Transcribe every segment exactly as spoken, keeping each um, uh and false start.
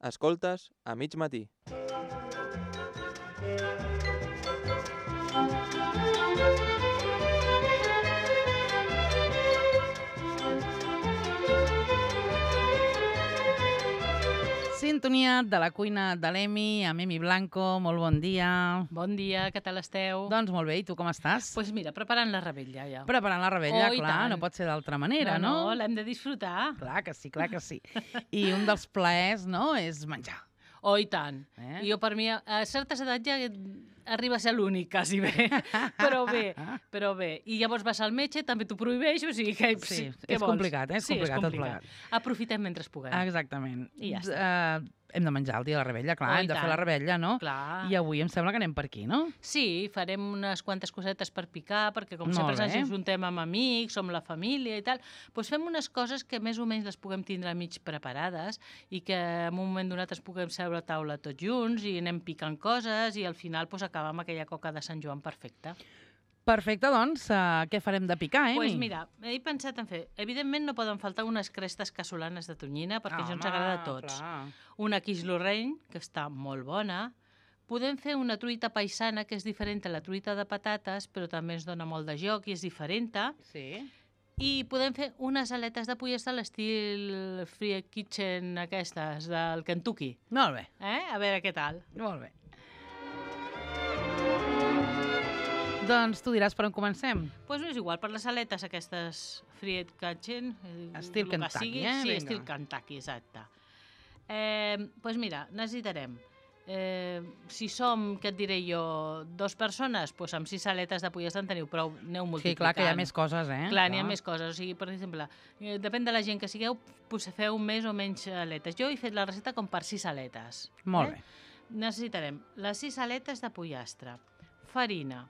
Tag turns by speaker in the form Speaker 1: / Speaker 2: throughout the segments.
Speaker 1: Escoltes a mig matí.
Speaker 2: Sintonia de la cuina de l'Emi, amb Emi Blanco. Molt bon dia.
Speaker 3: Bon dia, què tal esteu?
Speaker 2: Doncs molt bé, i tu com estàs?
Speaker 3: Doncs pues mira, preparant la rebella ja.
Speaker 2: Preparant la rebella,
Speaker 3: Oh, i
Speaker 2: clar,
Speaker 3: tant.
Speaker 2: no pot ser d'altra manera, no?
Speaker 3: No, no, l'hem de disfrutar.
Speaker 2: Clar que sí, clar que sí. I un dels plaers, no?, és menjar.
Speaker 3: Oh, i tant.
Speaker 2: Eh?
Speaker 3: Jo, per mi, a certes edats ja arriba a ser l'únic, quasi bé. Però bé, però bé. I llavors vas al metge, també t'ho prohibeix, o sigui que...
Speaker 2: Sí,
Speaker 3: què
Speaker 2: és
Speaker 3: vols?
Speaker 2: complicat, eh? És
Speaker 3: Sí, és
Speaker 2: complicat tot
Speaker 3: complicat.
Speaker 2: plegat.
Speaker 3: Aprofitem mentre puguem.
Speaker 2: Exactament.
Speaker 3: I ja està.
Speaker 2: Uh, hem de menjar el dia de la rebella, clar,
Speaker 3: Oh, i
Speaker 2: hem de fer
Speaker 3: tant.
Speaker 2: la rebella, no?
Speaker 3: Clar.
Speaker 2: I avui em sembla que anem per aquí, no?
Speaker 3: Sí, farem unes quantes cosetes per picar, perquè com
Speaker 2: Molt
Speaker 3: sempre
Speaker 2: bé.
Speaker 3: ens ajuntem amb amics, som la família i tal, doncs fem unes coses que més o menys les puguem tindre mig preparades i que en un moment donat ens puguem seure a taula tots junts i anem picant coses i al final doncs, acabar amb aquella coca de Sant Joan perfecta.
Speaker 2: Perfecte, doncs, uh, què farem de picar, eh?
Speaker 3: Doncs pues mira, he pensat en fer... Evidentment no poden faltar unes crestes casolanes de tonyina, perquè això ens agrada a tots.
Speaker 2: Clar.
Speaker 3: Una quiche Lorraine, que està molt bona. Podem fer una truita paisana, que és diferent a la truita de patates, però també ens dona molt de joc i és diferent.
Speaker 2: Sí.
Speaker 3: I podem fer unes aletes de pollastre a l'estil Free Kitchen aquestes, del Kentucky.
Speaker 2: Molt bé,
Speaker 3: Eh? A veure què tal.
Speaker 2: molt bé. Doncs tu diràs per on comencem.
Speaker 3: Doncs pues no és igual, per les aletes aquestes Free Kitchen... eh,
Speaker 2: Estil
Speaker 3: el que
Speaker 2: Kentucky,
Speaker 3: sigui,
Speaker 2: eh?
Speaker 3: Sí,
Speaker 2: Vinga.
Speaker 3: estil Kentucky, exacte. Eh, doncs pues mira, necessitarem... Eh, si som, què et diré jo, dos persones, doncs amb sis aletes de pollastre en teniu prou, aneu
Speaker 2: Sí,
Speaker 3: multiplicant.
Speaker 2: clar, que hi ha més coses, eh?
Speaker 3: Clar, n'hi ha més coses. O sigui, per exemple, eh, depèn de la gent que sigueu, doncs feu més o menys aletes. Jo he fet la recepta com per sis aletes.
Speaker 2: Molt
Speaker 3: eh?
Speaker 2: bé.
Speaker 3: Necessitarem les sis aletes de pollastre, farina,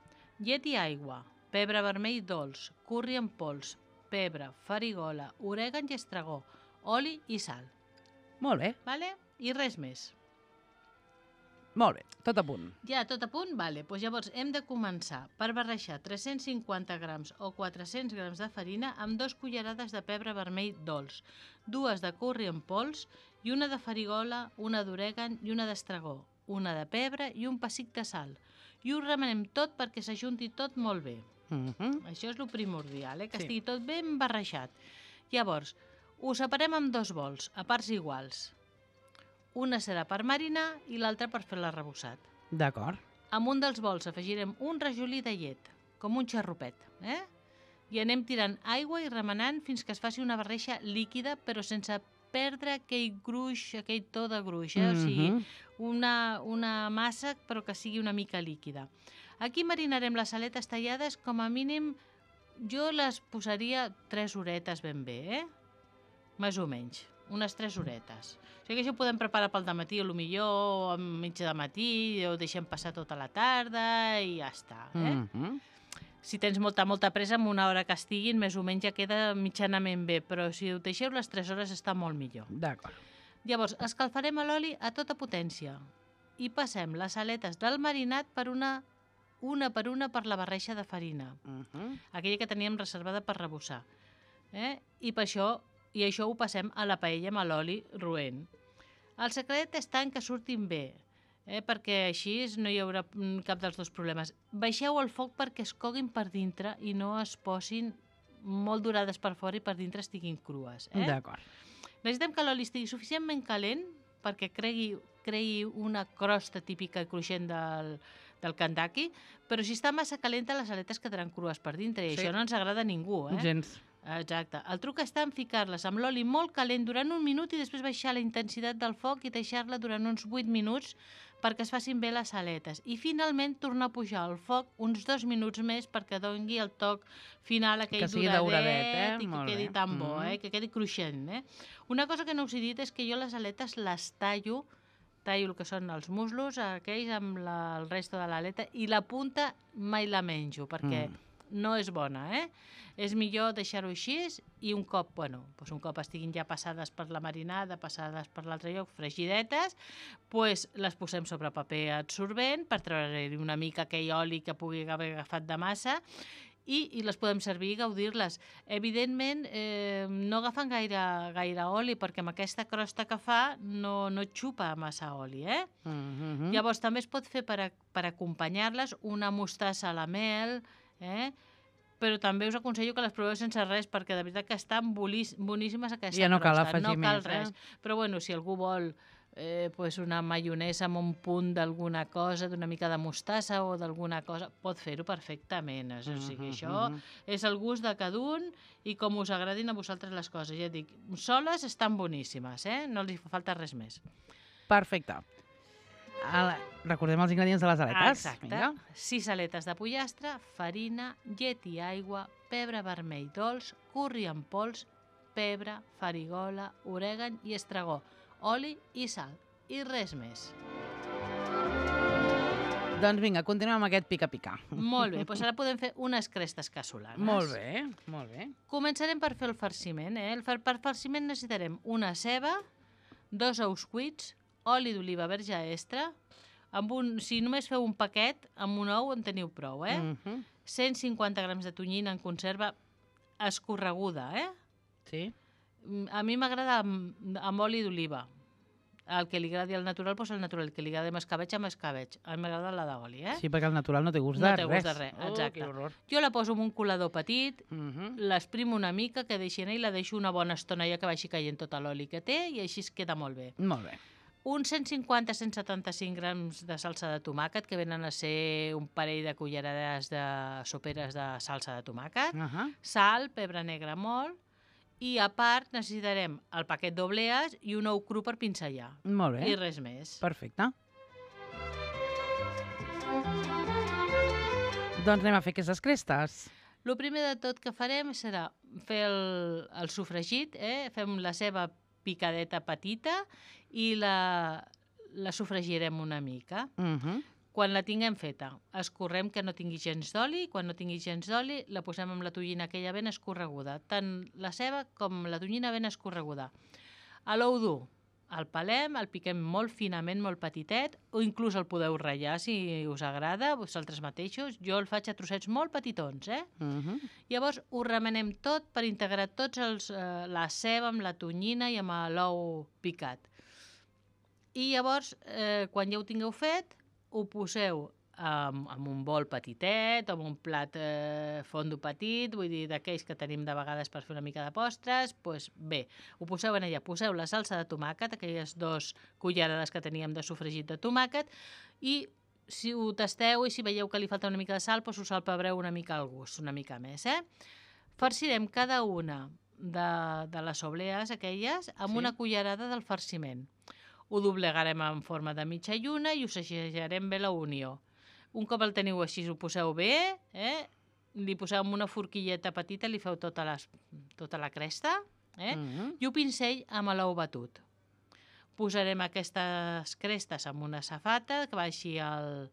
Speaker 3: llet i aigua, pebre vermell dolç, curri en pols, pebre, farigola, orègan i estragó, oli i sal.
Speaker 2: Molt bé,
Speaker 3: Vale? I res més.
Speaker 2: molt bé, tot a punt.
Speaker 3: Ja, tot a punt? Vale. Pues llavors hem de començar per barrejar tres-cents cinquanta grams o quatre-cents grams de farina amb dos cullerades de pebre vermell dolç, dues de curri en pols i una de farigola, una d'orègan i una d'estragó, una de pebre i un pessic de sal. I ho remenem tot perquè s'ajunti tot molt bé.
Speaker 2: Uh -huh.
Speaker 3: Això és el primordial, eh? que
Speaker 2: Sí.
Speaker 3: estigui tot ben barrejat. Llavors, ho separem en dos bols, a parts iguals. Una serà per marinar i l'altra per fer l'arrebossat.
Speaker 2: D'acord.
Speaker 3: Amb un dels bols afegirem un rajolí de llet, com un xarrupet, eh? I anem tirant aigua i remenant fins que es faci una barreja líquida, però sense perdre aquell gruix, aquell to de gruix, eh? O sigui,
Speaker 2: Mhm.
Speaker 3: una, una massa, però que sigui una mica líquida. Aquí marinarem les aletes tallades, com a mínim, jo les posaria tres horetes ben bé, eh? Més o menys, unes tres horetes. O sigui que això ho podem preparar pel dematí, o millor o a mitja de matí, o deixem passar tota la tarda i ja està, eh?
Speaker 2: Mhm.
Speaker 3: Si tens molta, molta pressa, amb una hora que estiguin, més o menys ja queda mitjanament bé, però si ho deixeu les tres hores està molt millor.
Speaker 2: D'acord.
Speaker 3: Llavors, escalfarem l'oli a tota potència i passem les aletes del marinat per una, una per una per la barreja de farina,
Speaker 2: Mhm.
Speaker 3: aquella que teníem reservada per rebossar. Eh? I per això, i això ho passem a la paella amb l'oli roent. El secret està en que surtin bé, eh? perquè així no hi haurà mm, cap dels dos problemes. Baixeu el foc perquè es coguin per dintre i no es posin molt dorades per fora i per dintre estiguin crues. Eh?
Speaker 2: D'acord.
Speaker 3: Necessitem que l'oli estigui suficientment calent perquè creï, creï una crosta típica i cruixent del, del Kentucky, però si està massa calenta les aletes quedaran crues per dintre i
Speaker 2: Sí.
Speaker 3: això no ens agrada a ningú. Eh?
Speaker 2: Gens.
Speaker 3: Exacte. El truc està en ficar-les amb l'oli molt calent durant un minut i després baixar la intensitat del foc i deixar-la durant uns vuit minuts perquè es facin bé les aletes. I finalment tornar a pujar el foc uns dos minuts més perquè doni el toc final, aquell
Speaker 2: Que sigui
Speaker 3: doradet,
Speaker 2: dauradet, eh?
Speaker 3: i que
Speaker 2: Molt
Speaker 3: quedi
Speaker 2: bé.
Speaker 3: tan bo,
Speaker 2: Mhm.
Speaker 3: eh? que quedi cruixent. Eh? Una cosa que no us he dit és que jo les aletes les tallo, tallo el que són els muslos, aquells amb la, el resto de l'aleta, i la punta mai la menjo perquè
Speaker 2: Mm.
Speaker 3: no és bona, eh? És millor deixar-ho així i un cop, bueno, doncs un cop estiguin ja passades per la marinada, passades per l'altre lloc, fregidetes, doncs les posem sobre paper absorbent per treure-hi una mica aquell oli que pugui haver agafat de massa i, i les podem servir i gaudir-les. Evidentment, eh, no agafen gaire, gaire oli, perquè amb aquesta crosta que fa no, no xupa massa oli, eh?
Speaker 2: Mm-hmm.
Speaker 3: Llavors, també es pot fer per, a, per acompanyar-les una mostassa a la mel, eh? Però també us aconsello que les proveu sense res, perquè de veritat que estan boníssimes aquesta
Speaker 2: ja no cal
Speaker 3: crosta.
Speaker 2: afegir
Speaker 3: no cal
Speaker 2: més,
Speaker 3: res.
Speaker 2: Eh?
Speaker 3: Però bueno, si algú vol eh, pues una maionesa amb un punt d'alguna cosa, d'una mica de mostassa o d'alguna cosa, pot fer-ho perfectament. O sigui, això és el gust de cada un i com us agradin a vosaltres les coses. Ja et dic, soles estan boníssimes, eh? No els fa falta res més.
Speaker 2: Perfecte. Ala, recordem els ingredients de les aletes.
Speaker 3: Exacte.
Speaker 2: Vinga.
Speaker 3: sis aletes de pollastre, farina, llet i aigua, pebre vermell dolç, curri en pols, pebre, farigola, orègan i estragó, oli i sal. I res més.
Speaker 2: Doncs vinga, continuem amb aquest pica-pica.
Speaker 3: Molt bé, doncs ara podem fer unes crestes cassolanes.
Speaker 2: Molt bé, molt bé.
Speaker 3: Començarem per fer el farciment. Eh? El far per farciment necessitarem una ceba, dos ous cuits, oli d'oliva verge extra, amb un, si només feu un paquet, amb un ou en teniu prou, eh?
Speaker 2: Mm-hmm.
Speaker 3: cent cinquanta grams de tonyina en conserva escorreguda, eh?
Speaker 2: Sí.
Speaker 3: A mi m'agrada amb, amb oli d'oliva. El que li agradi al natural, doncs el natural. El que li agradi amb escabeig, amb escabeig. A mi m'agrada la d'oli, eh?
Speaker 2: Sí, perquè el natural no té gust
Speaker 3: No
Speaker 2: de
Speaker 3: té
Speaker 2: res.
Speaker 3: gust de res, exacte.
Speaker 2: Oh, que horror.
Speaker 3: Jo la poso en un colador petit,
Speaker 2: Mm-hmm.
Speaker 3: l'esprimo una mica, que deixi anar i la deixo una bona estona ja que vagi caient tot l'oli que té i així es queda molt bé.
Speaker 2: Molt bé.
Speaker 3: Uns cent cinquanta a cent setanta-cinc grams de salsa de tomàquet, que venen a ser un parell de cullerades de soperes de salsa de tomàquet,
Speaker 2: Uh-huh.
Speaker 3: sal, pebre negre molt, i a part necessitarem el paquet d'oblees i un ou cru per pinzellar.
Speaker 2: Molt bé.
Speaker 3: I res més.
Speaker 2: Perfecte. Doncs anem a fer aquestes crestes.
Speaker 3: El primer de tot que farem serà fer el, el sofregit, eh? Fem la ceba picadeta petita i la, la sofregirem una mica.
Speaker 2: Uh-huh.
Speaker 3: Quan la tinguem feta, escorrem que no tingui gens d'oli. Quan no tingui gens d'oli, la posem amb la tonyina aquella ben escorreguda. Tant la ceba com la tonyina ben escorreguda. A l'ou dur, el pelem, el piquem molt finament, molt petitet, o inclús el podeu ratllar si us agrada, vosaltres mateixos. Jo el faig a trossets molt petitons, eh?
Speaker 2: Uh-huh.
Speaker 3: Llavors ho remenem tot per integrar tots els, eh, la ceba amb la tonyina i amb l'ou picat. I llavors, eh, quan ja ho tingueu fet, ho poseu en, en un bol petitet o en un plat eh, fondo petit, vull dir, d'aquells que tenim de vegades per fer una mica de postres, doncs bé, ho poseu en allà, poseu la salsa de tomàquet, aquelles dos cullerades que teníem de sofregit de tomàquet, i si ho tasteu i si veieu que li falta una mica de sal, doncs us salpebreu una mica al gust, una mica més, eh? Farcirem cada una de, de les oblees aquelles amb
Speaker 2: Sí.
Speaker 3: una cullerada del farciment. Ho doblegarem en forma de mitja lluna i ho segellarem bé la unió. Un cop el teniu així, ho poseu bé, eh? Li poseu amb una forquilleta petita, li feu tota, les, tota la cresta, eh?
Speaker 2: Uh-huh.
Speaker 3: I un pincell amb l'ou batut. Posarem aquestes crestes amb una safata que baixi al,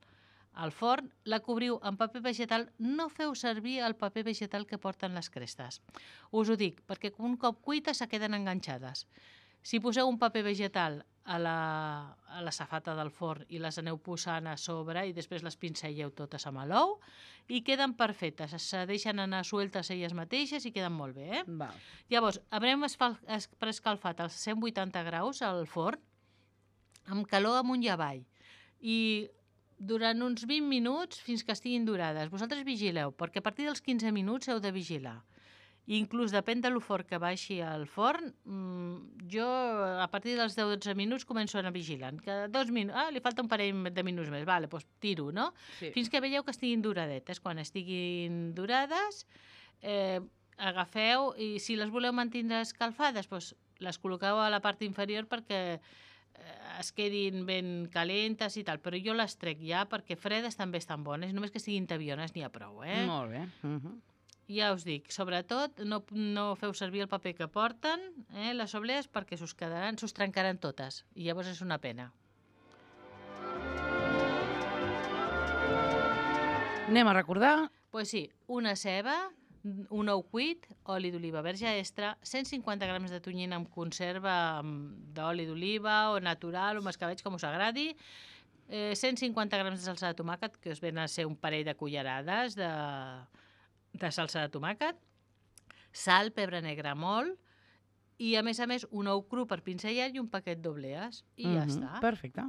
Speaker 3: al forn, la cobriu amb paper vegetal. No feu servir el paper vegetal que porten les crestes. Us ho dic, perquè un cop cuites se queden enganxades. Si poseu un paper vegetal a la, a la safata del forn i les aneu posant a sobre i després les pincelleu totes amb l'ou i queden perfectes, se deixen anar sueltes elles mateixes i queden molt bé, eh?
Speaker 2: Val.
Speaker 3: Llavors, haurem preescalfat als cent vuitanta graus al forn amb calor amunt i avall i durant uns vint minuts fins que estiguin dorades. Vosaltres vigileu, perquè a partir dels quinze minuts heu de vigilar. I inclús depèn de lo fort que baixi al forn, jo a partir dels deu dotze minuts començo a anar vigilant. Cada dos minuts, ah, li falta un parell de minuts més, vale, doncs tiro, no?
Speaker 2: Sí.
Speaker 3: Fins que veieu que estiguin doradetes. Quan estiguin dorades, eh, agafeu i si les voleu mantenir escalfades, doncs les col·loqueu a la part inferior perquè eh, es quedin ben calentes i tal, però jo les trec ja perquè fredes també estan bones, només que estiguin tabiones n'hi ha prou, eh?
Speaker 2: Molt bé. Uh-huh.
Speaker 3: Ja us dic, sobretot no, no feu servir el paper que porten, eh, les oblees, perquè s'us quedaran, s'us trencaran totes i llavors és una pena.
Speaker 2: Anem a recordar.
Speaker 3: Doncs pues sí, una ceba, un ou cuit, oli d'oliva verge extra, cent cinquanta grams de tonyina en conserva d'oli d'oliva o natural o amb escabeig, com us agradi, eh, cent cinquanta grams de salsa de tomàquet, que us ven a ser un parell de cullerades de, de salsa de tomàquet, sal, pebre negre molt, i a més a més un ou cru per pinzellar i un paquet d'oblees. I ja
Speaker 2: Mhm,
Speaker 3: està.
Speaker 2: Perfecte.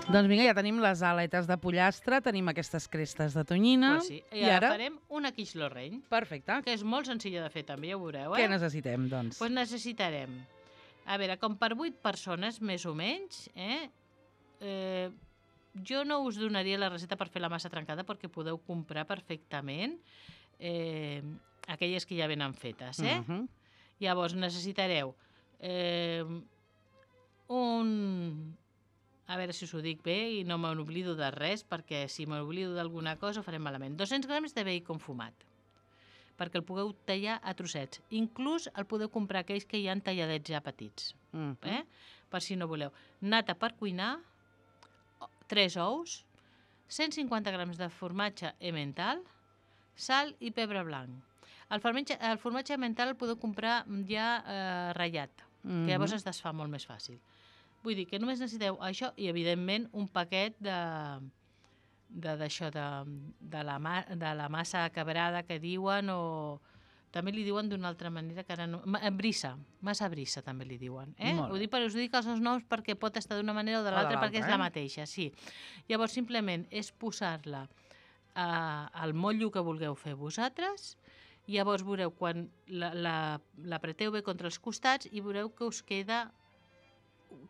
Speaker 2: Doncs vinga, ja tenim les aletes de pollastre, tenim aquestes crestes de tonyina.
Speaker 3: Pues sí. I,
Speaker 2: I
Speaker 3: ara
Speaker 2: ara?
Speaker 3: farem una quiche Lorraine,
Speaker 2: Perfecte.
Speaker 3: que és molt senzilla de fer també, ja ho veureu,
Speaker 2: Què
Speaker 3: eh?
Speaker 2: necessitem, doncs?
Speaker 3: Pues necessitarem, a veure, com per vuit persones, més o menys, eh? eh jo no us donaria la recepta per fer la massa trencada perquè podeu comprar perfectament eh, aquelles que ja venen fetes, eh?
Speaker 2: Mhm.
Speaker 3: Llavors necessitareu eh, un... A veure si us ho dic bé i no me n'oblido de res, perquè si me n'oblido d'alguna cosa ho farem malament. dos-cents grams de bacon fumat, perquè el pugueu tallar a trossets. Inclús el podeu comprar aquells que hi ha talladets ja petits,
Speaker 2: Mhm.
Speaker 3: eh? Per si no voleu. Nata per cuinar, tres ous, cent cinquanta grams de formatge emmental, sal i pebre blanc. El formatge, el formatge emmental el podeu comprar ja eh, ratllat,
Speaker 2: Mhm.
Speaker 3: que llavors es desfà molt més fàcil. Vull dir que només necessiteu això i, evidentment, un paquet de de, d'això, de, de, la, ma, de la massa quebrada que diuen, o també li diuen d'una altra manera que ara no... Ma, brissa, massa brissa també li diuen. Eh?
Speaker 2: Molt
Speaker 3: Ho
Speaker 2: bé.
Speaker 3: dic, us dic els noms perquè pot estar d'una manera o de
Speaker 2: O de
Speaker 3: l'altra,
Speaker 2: l'altra,
Speaker 3: perquè és
Speaker 2: eh?
Speaker 3: la mateixa, sí. Llavors, simplement és posar-la eh, al motllo que vulgueu fer vosaltres. Llavors veureu quan la, la, l'apreteu bé contra els costats i veureu que us queda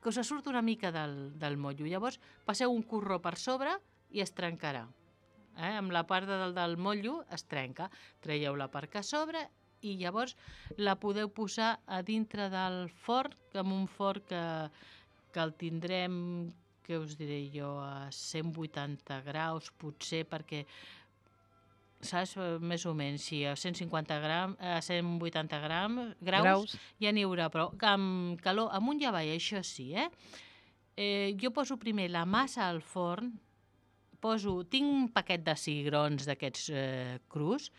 Speaker 3: que us surt una mica del, del motllo. Llavors passeu un corró per sobre i es trencarà. Eh? Amb la part del, del motllo es trenca. Traieu la part que a sobre i llavors la podeu posar a dintre del forn, amb un forn que, que el tindrem, què us diré jo, a cent vuitanta graus, potser, perquè saps, més o menys, sí, a cent cinquanta gram, a cent vuitanta gram, graus,
Speaker 2: Graus.
Speaker 3: ja n'hi haurà, però amb calor, amunt i avall, això sí, eh? eh? Jo poso primer la massa al forn, poso, tinc un paquet de cigrons d'aquests eh, crus,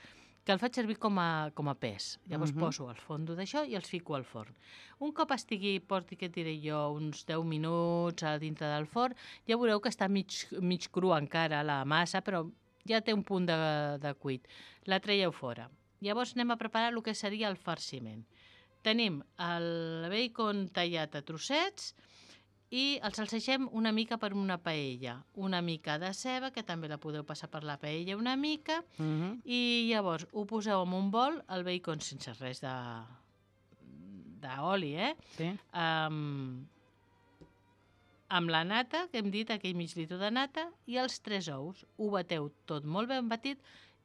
Speaker 3: que el faig servir com a, com a pes. Llavors
Speaker 2: Mhm.
Speaker 3: poso el fondo d'això i els fico al forn. Un cop estigui, porti, què et diré jo, uns deu minuts a dintre del forn, ja veureu que està mig, mig cru encara la massa, però ja té un punt de, de cuit. La traieu fora. Llavors anem a preparar el que seria el farciment. Tenim el bacon tallat a trossets i el salsegem una mica per una paella. Una mica de ceba, que també la podeu passar per la paella una mica,
Speaker 2: Mhm.
Speaker 3: i llavors ho poseu en un bol, el bacon sense res de d'oli, eh?
Speaker 2: Sí.
Speaker 3: Um, amb la nata, que hem dit, aquell mig litre de nata, i els tres ous. Ho bateu tot molt ben batit,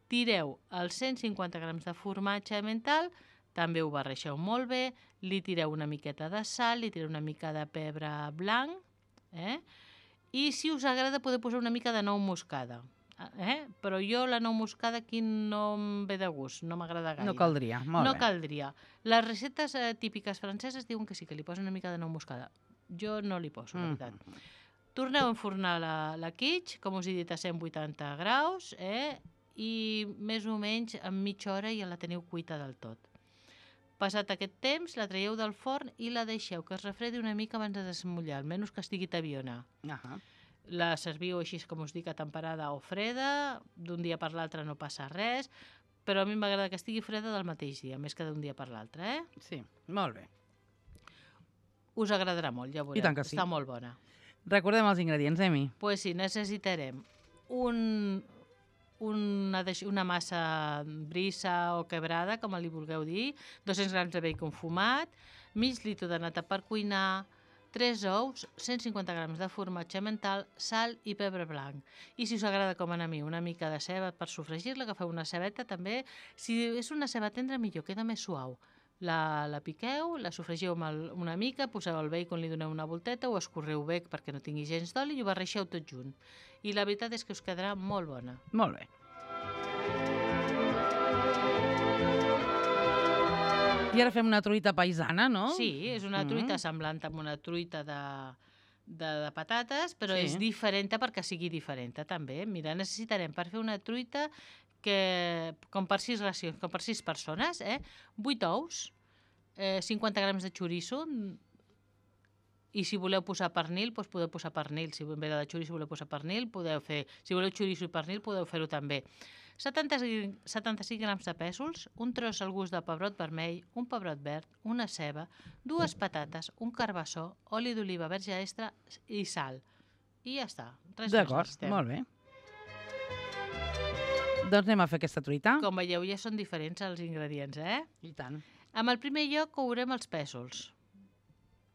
Speaker 3: tireu els cent cinquanta grams de formatge emmental, també ho barreixeu molt bé, li tireu una miqueta de sal, li tireu una mica de pebre blanc, eh? I si us agrada podeu posar una mica de nou moscada. Eh? Però jo la nou moscada aquí no em ve de gust, no m'agrada gaire.
Speaker 2: No caldria, molt
Speaker 3: no
Speaker 2: bé.
Speaker 3: caldria. Les receptes eh, típiques franceses diuen que sí, que li posen una mica de nou moscada. Jo no li poso, la
Speaker 2: Mhm.
Speaker 3: veritat. Torneu a enfornar la, la quiche, com us he dit, a cent vuitanta graus, eh? I més o menys en mitja hora ja la teniu cuita del tot. Passat aquest temps, la traieu del forn i la deixeu que es refredi una mica abans de desmullar, almenys que estigui tabiona.
Speaker 2: Ahà.
Speaker 3: La serviu així, com us dic, a temperada o freda, d'un dia per l'altre no passa res, però a mi m'agrada que estigui freda del mateix dia, més que d'un dia per l'altre, eh?
Speaker 2: Sí, molt bé.
Speaker 3: Us agradarà molt, ja ho veureu.
Speaker 2: I tant que sí.
Speaker 3: Està molt bona.
Speaker 2: Recordem els ingredients, Emi.
Speaker 3: Doncs pues sí, necessitarem un, una, deix- una massa brissa o quebrada, com li vulgueu dir, dos-cents grams de bacon fumat, mig litre de nata per cuinar, tres ous, cent cinquanta grams de formatge emmental, sal i pebre blanc. I si us agrada, com a mi, una mica de ceba per sofregir-la, agafeu una cebeta també. Si és una ceba tendra, millor, queda més suau. La, la piqueu, la sofregiu amb el, una mica, poseu el bacon, li doneu una volteta, ho escorreu bé perquè no tingui gens d'oli i ho barreixeu tot junt. I la veritat és que us quedarà molt bona.
Speaker 2: Molt bé. I ara fem una truita paisana, no?
Speaker 3: Sí, és una truita
Speaker 2: Mm.
Speaker 3: semblant amb una truita de, de, de patates, però
Speaker 2: Sí.
Speaker 3: és diferent perquè sigui diferent també. Mira, necessitarem per fer una truita que, com per sis racions, com per sis persones, eh? vuit ous, eh, cinquanta grams de xoriço, I si voleu posar pernil, doncs podeu posar pernil. Si en ve de xoriço voleu posar pernil, podeu fer... Si voleu xoriço i pernil, podeu fer-ho també. setanta-cinc grams de pèsols, un tros al gust de pebrot vermell, un pebrot verd, una ceba, dues patates, un carbassó, oli d'oliva verge extra i sal. I ja està.
Speaker 2: D'acord, molt bé. Doncs anem a fer aquesta truita.
Speaker 3: Com veieu, ja són diferents els ingredients, eh?
Speaker 2: I tant.
Speaker 3: En el primer lloc courem els pèsols.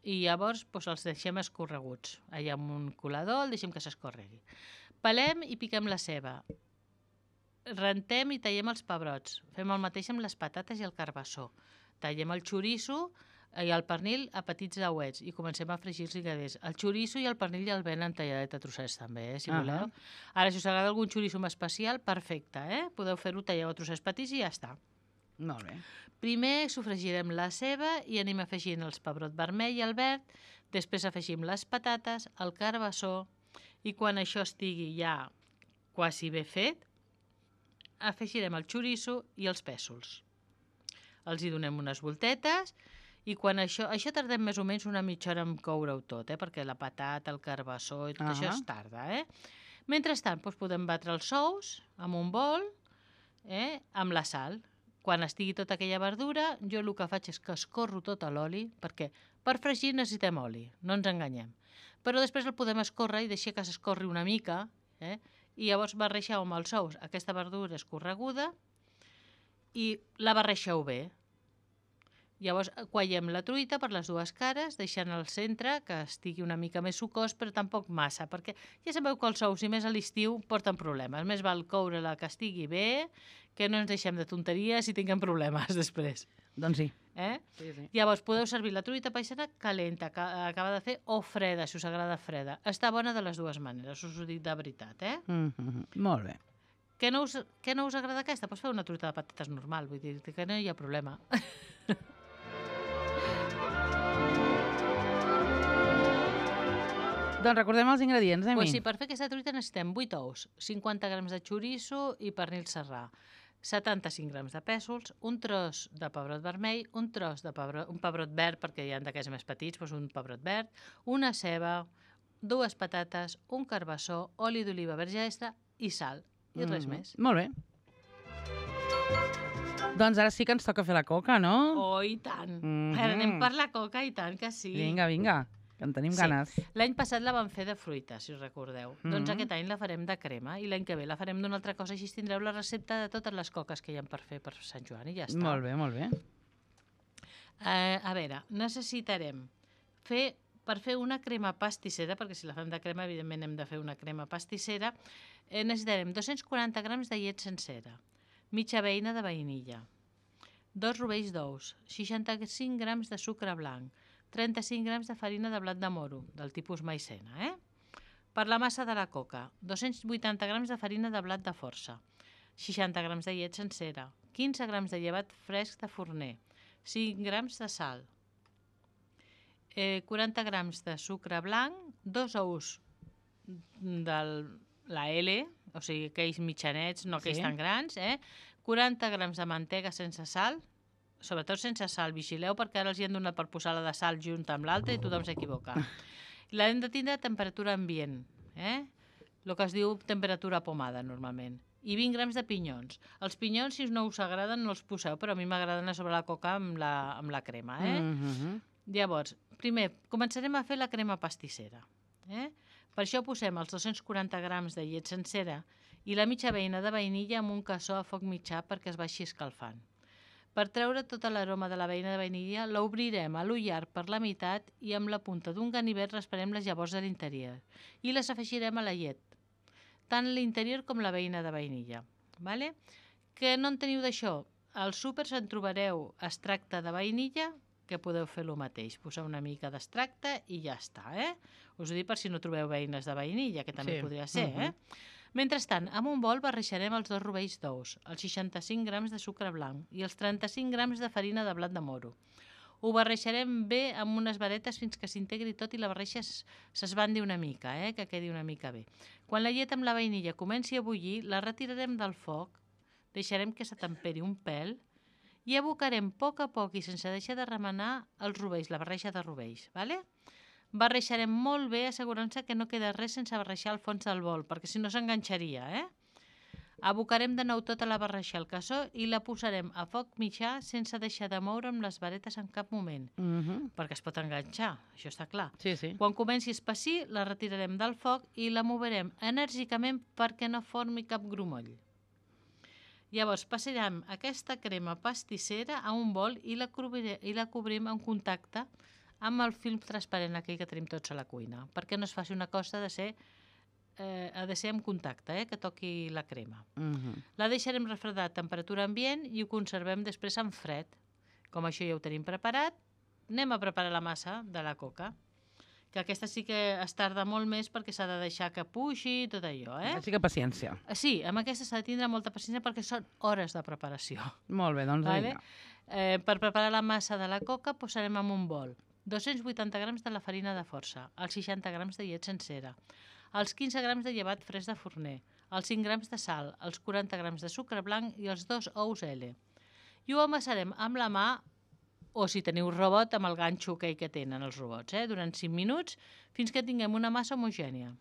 Speaker 3: I llavors doncs, els deixem escorreguts. Allà amb un colador el deixem que s'escorregui. Pelem i piquem la ceba. Rentem i tallem els pebrots. Fem el mateix amb les patates i el carbassó. Tallem el xoriço i el pernil a petits dauets i comencem a fregir els ingredients. El xoriço i el pernil ja el venen talladet a trossets també, eh, si
Speaker 2: Uh-huh.
Speaker 3: voleu. Ara, si us agrada algun xoriço més especial, perfecte, eh? Podeu fer-ho, talleu a trossets petits i ja està.
Speaker 2: Molt bé.
Speaker 3: Primer sofregirem la ceba i anem afegint els pebrot vermell i el verd, després afegim les patates, el carbassó i quan això estigui ja quasi bé fet, afegirem el xoriço i els pèsols. Els hi donem unes voltetes i quan això... Això tardem més o menys una mitja hora en coure-ho tot, eh? Perquè la patata, el carbassó i tot
Speaker 2: Ah.
Speaker 3: això es tarda, eh? Mentrestant, doncs podem batre els ous amb un bol, eh? Amb la sal. Quan estigui tota aquella verdura, jo el que faig és que escorro tot a l'oli, perquè per fregir necessitem oli, no ens enganyem. Però després el podem escórrer i deixar que s'escorri una mica, eh? I llavors barreixeu amb els ous aquesta verdura escorreguda i la barreixeu bé. Llavors quaiem la truita per les dues cares, deixant al centre que estigui una mica més sucós, però tampoc massa, perquè ja sabeu que els ous, i més a l'estiu, porten problemes. Més val coure-la que estigui bé, que no ens deixem de tonteries i tinguem problemes després.
Speaker 2: Doncs sí.
Speaker 3: Eh?
Speaker 2: Sí, sí.
Speaker 3: Llavors podeu servir la truita paisana calenta, que acaba de fer, o freda, si us agrada freda. Està bona de les dues maneres, us ho dic de veritat, eh?
Speaker 2: Mm -hmm. Molt bé.
Speaker 3: Què no us, què no us agrada aquesta? Pots fer una truita de patates normal, vull dir que no hi ha problema.
Speaker 2: Doncs recordem els ingredients, Emi.
Speaker 3: Pues sí, per fer aquesta truita necessitem vuit ous, cinquanta grams de xoriço i pernil serrà, setanta-cinc grams de pèsols, un tros de pebrot vermell, un tros de pebrot, un pebrot verd, perquè hi ha d'aquests més petits, doncs un pebrot verd, una ceba, dues patates, un carbassó, oli d'oliva verge extra i sal, i mm. res més.
Speaker 2: Molt bé. Doncs ara sí que ens toca fer la coca, no?
Speaker 3: Oh, i tant!
Speaker 2: Mm-hmm.
Speaker 3: Ara anem per la coca, i tant que sí.
Speaker 2: Vinga, vinga, que en tenim
Speaker 3: Sí.
Speaker 2: ganes.
Speaker 3: L'any passat la vam fer de fruita, si us recordeu.
Speaker 2: Mm-hmm.
Speaker 3: Doncs aquest any la farem de crema i l'any que ve la farem d'una altra cosa, així tindreu la recepta de totes les coques que hi ha per fer per Sant Joan i ja està.
Speaker 2: Molt bé, molt bé.
Speaker 3: Eh, a veure, necessitarem fer, per fer una crema pastissera, perquè si la fem de crema, evidentment hem de fer una crema pastissera, eh, necessitarem dos-cents quaranta grams de llet sencera, mitja beina de vainilla, dos rovells d'ous, seixanta-cinc grams de sucre blanc, trenta-cinc grams de farina de blat de moro, del tipus maicena, eh? Per la massa de la coca, dos-cents vuitanta grams de farina de blat de força, seixanta grams de llet sencera, quinze grams de llevat fresc de forner, cinc grams de sal, eh, quaranta grams de sucre blanc, dos ous de la L, o sigui, aquells mitjanets, no aquells
Speaker 2: Sí.
Speaker 3: tan grans, eh? quaranta grams de mantega sense sal, sobretot sense sal, vigileu perquè ara els hi han donat per posar la de sal junt amb l'altra i tothom s'equivoca. L'hem de tindre a temperatura ambient, eh? El que es diu temperatura pomada normalment. I vint grams de pinyons. Els pinyons, si no us agraden, no els poseu, però a mi m'agraden a sobre la coca amb la, amb la crema, eh?
Speaker 2: Mm-hmm.
Speaker 3: Llavors, primer, començarem a fer la crema pastissera. Eh? Per això posem els dos-cents quaranta grams de llet sencera i la mitja beina de vainilla amb un cassó a foc mitjà perquè es vagi escalfant. Per treure tota l'aroma de la beina de vainilla, l'obrirem a l'ull llarg per la meitat i amb la punta d'un ganivet rasparem les llavors de l'interior i les afegirem a la llet, tant l'interior com la beina de vainilla. Vale? Que no en teniu d'això? Als súpers en trobareu extracte de vainilla, que podeu fer el mateix, posar una mica d'extracte i ja està, eh? Us ho dic per si no trobeu beines de vainilla, que també
Speaker 2: Sí.
Speaker 3: podria ser, eh? Mentrestant, amb un bol barrejarem els dos rovells d'ous, els seixanta-cinc grams de sucre blanc i els trenta-cinc grams de farina de blat de moro. Ho barrejarem bé amb unes varetes fins que s'integri tot i la barreja s'esbandi una mica, eh? Que quedi una mica bé. Quan la llet amb la vainilla comenci a bullir, la retirarem del foc, deixarem que s'atemperi un pèl i abocarem a poc a poc i sense deixar de remenar els rovells, la barreja de rovells. Vale? Barreixarem molt bé, assegurant-se que no queda res sense barreixar al fons del bol, perquè si no s'enganxaria, eh? Abocarem de nou tota la barreixa al cassó i la posarem a foc mitjà sense deixar de moure amb les varetes en cap moment,
Speaker 2: Mhm.
Speaker 3: perquè es pot enganxar, això està clar.
Speaker 2: Sí, sí.
Speaker 3: Quan comenci a espessir, la retirarem del foc i la moverem enèrgicament perquè no formi cap grumoll. Llavors, passarem aquesta crema pastissera a un bol i la, cobrirem, i la cobrim en contacte amb el film transparent aquell que tenim tots a la cuina, perquè no es faci una cosa de ser, eh, ha de ser en contacte, eh, que toqui la crema.
Speaker 2: Mhm.
Speaker 3: La deixarem refredar a temperatura ambient i ho conservem després en fred. Com això ja ho tenim preparat, anem a preparar la massa de la coca, que aquesta sí que es tarda molt més perquè s'ha de deixar que puixi i tot allò, eh?
Speaker 2: Així que paciència.
Speaker 3: Sí, amb aquesta s'ha de tindre molta paciència perquè són hores de preparació.
Speaker 2: Molt bé, doncs
Speaker 3: Vale?
Speaker 2: vinga.
Speaker 3: Eh, per preparar la massa de la coca posarem en un bol dos-cents vuitanta grams de la farina de força, els seixanta grams de llet sencera, els quinze grams de llevat fresc de forner, els cinc grams de sal, els quaranta grams de sucre blanc i els dos ous L. I ho amassarem amb la mà, o si teniu robot, amb el ganxo aquell que tenen els robots, eh? durant cinc minuts, fins que tinguem una massa homogènia.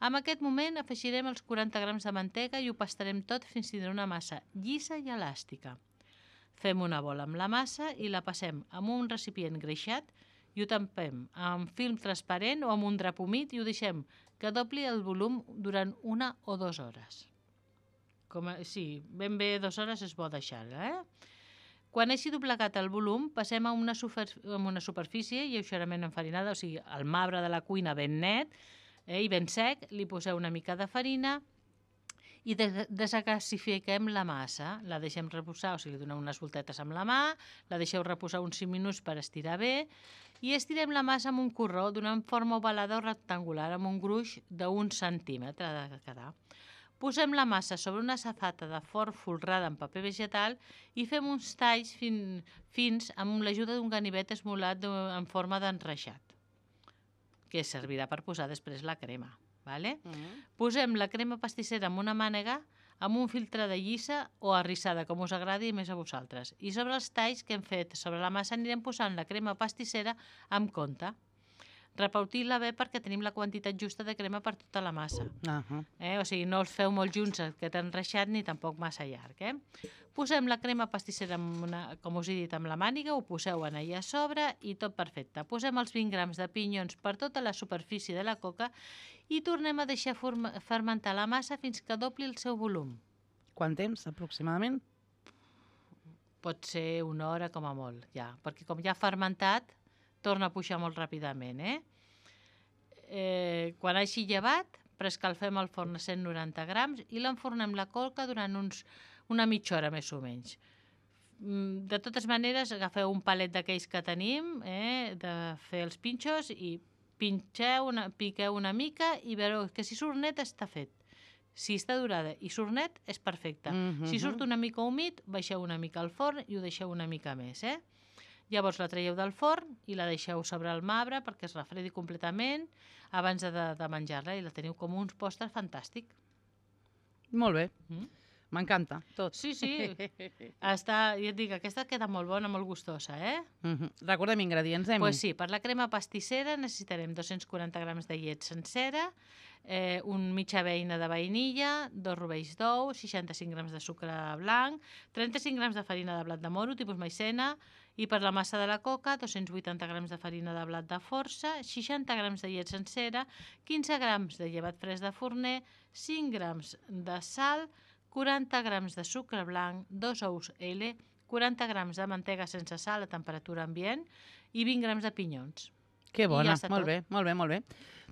Speaker 3: En aquest moment afegirem els quaranta grams de mantega i ho pastarem tot fins a tindre una massa llisa i elàstica. Fem una bola amb la massa i la passem amb un recipient greixat i ho tampem amb film transparent o amb un drap humit i ho deixem que dobli el volum durant una o dues hores. Com a, sí, ben bé dues hores és bo deixar-la, eh? Quan hagi doblegat el volum, passem a una, super, a una superfície lleugerament enfarinada, o sigui, el marbre de la cuina ben net eh, i ben sec, li poseu una mica de farina i des desgasifiquem la massa. La deixem reposar, o sigui, li donem unes voltetes amb la mà, la deixeu reposar uns cinc minuts per estirar bé i estirem la massa amb un corró donant forma ovalada o rectangular amb un gruix d'un centímetre de quedar. Posem la massa sobre una safata de forn folrada en paper vegetal i fem uns talls fin, fins amb l'ajuda d'un ganivet esmolat en forma d'enreixat, que servirà per posar després la crema. Vale?
Speaker 2: Mhm.
Speaker 3: Posem la crema pastissera en una mànega amb un filtre de lliça o arrissada, com us agradi més a vosaltres. I sobre els talls que hem fet sobre la massa anirem posant la crema pastissera amb compte. Repartir-la bé perquè tenim la quantitat justa de crema per tota la massa.
Speaker 2: Uh-huh.
Speaker 3: Eh? O sigui, no els feu molt junts, que t'han enreixat, ni tampoc massa llarg. Eh? Posem la crema pastissera, amb una, com us he dit, amb la màniga, ho poseu en allà a sobre i tot perfecte. Posem els vint grams de pinyons per tota la superfície de la coca i tornem a deixar fermentar la massa fins que dobli el seu volum.
Speaker 2: Quant temps, aproximadament?
Speaker 3: Pot ser una hora com a molt, ja, perquè com ja ha fermentat, torna a pujar molt ràpidament. Eh? Eh, quan hagi llevat, preescalfem el forn a cent noranta grams i l'enfornem la coca durant uns, una mitja hora més o menys. De totes maneres, agafeu un palet d'aquells que tenim, eh, de fer els pinxos i pinxeu una, piqueu una mica i veureu que si surt net està fet. Si està durada i surt net, és perfecte.
Speaker 2: Mm-hmm.
Speaker 3: Si surt una mica humit, baixeu una mica al forn i ho deixeu una mica més. Eh? Llavors la traieu del forn i la deixeu sobre el marbre perquè es refredi completament abans de, de menjar-la i la teniu com un pòster fantàstic.
Speaker 2: Molt bé.
Speaker 3: Mm?
Speaker 2: M'encanta, tot.
Speaker 3: Sí, sí. Està, ja et dic, aquesta queda molt bona, molt gustosa, eh?
Speaker 2: Mm-hmm. Recordem ingredients, Emi.
Speaker 3: Pues sí, per la crema pastissera necessitarem dos-cents quaranta grams de llet sencera, eh, un mitja beina de vainilla, dos rovells d'ou, seixanta-cinc grams de sucre blanc, trenta-cinc grams de farina de blat de moro, tipus maicena, i per la massa de la coca, dos-cents vuitanta grams de farina de blat de força, seixanta grams de llet sencera, quinze grams de llevat fresc de forner, cinc grams de sal, quaranta grams de sucre blanc, dos ous L, quaranta grams de mantega sense sal a temperatura ambient i vint grams de pinyons.
Speaker 2: Que bona,
Speaker 3: ja
Speaker 2: molt
Speaker 3: tot.
Speaker 2: bé, molt bé, molt bé.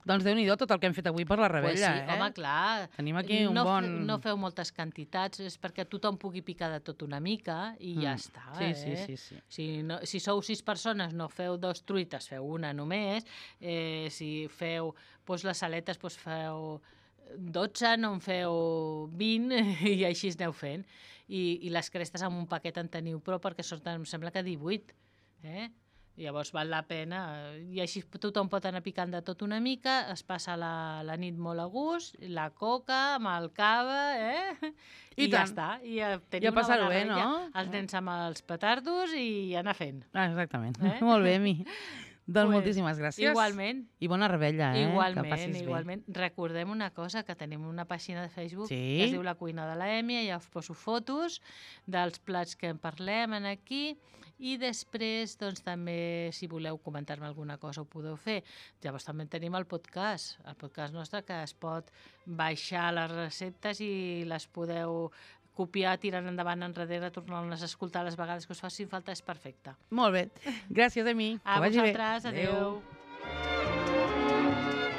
Speaker 2: Doncs Déu-n'hi-do tot el que hem fet avui per la rebella,
Speaker 3: pues sí,
Speaker 2: eh?
Speaker 3: home, clar.
Speaker 2: Tenim aquí un
Speaker 3: no,
Speaker 2: bon...
Speaker 3: No feu moltes quantitats, és perquè tothom pugui picar de tot una mica i mm. ja està.
Speaker 2: Sí,
Speaker 3: eh?
Speaker 2: sí, sí, sí.
Speaker 3: Si, no, si sou sis persones, no feu dos truites, feu una només. Eh, si feu doncs, les aletes, doncs feu dotze, no en feu vint i així es aneu fent. I, i les crestes amb un paquet en teniu prou perquè surten, em sembla que divuit. Eh? Llavors val la pena. I així tothom pot anar picant de tot una mica, es passa la, la nit molt a gust, la coca amb el cava, eh? I, I ja està. I ja tenim
Speaker 2: ja passar-ho bé, no?
Speaker 3: Els nens amb els petardos i anar fent.
Speaker 2: Ah, exactament.
Speaker 3: Eh?
Speaker 2: Molt bé, Mi. Doncs
Speaker 3: Pues,
Speaker 2: moltíssimes gràcies.
Speaker 3: Igualment.
Speaker 2: I bona rebella, eh? Que
Speaker 3: Igualment,
Speaker 2: passis bé.
Speaker 3: igualment. Recordem una cosa, que tenim una pàgina de Facebook
Speaker 2: Sí.
Speaker 3: que es diu La Cuina de la Emi, ja us poso fotos dels plats que en parlem en aquí, i després, doncs, també, si voleu comentar-me alguna cosa, ho podeu fer. Llavors també tenim el podcast, el podcast nostre, que es pot baixar les receptes i les podeu copiar, tirant endavant enrere, tornar-les a escoltar les vegades que us facin falta, és perfecte.
Speaker 2: Molt bé. Gràcies, Emi.
Speaker 3: A
Speaker 2: Que vagi bé.
Speaker 3: vosaltres, adeu.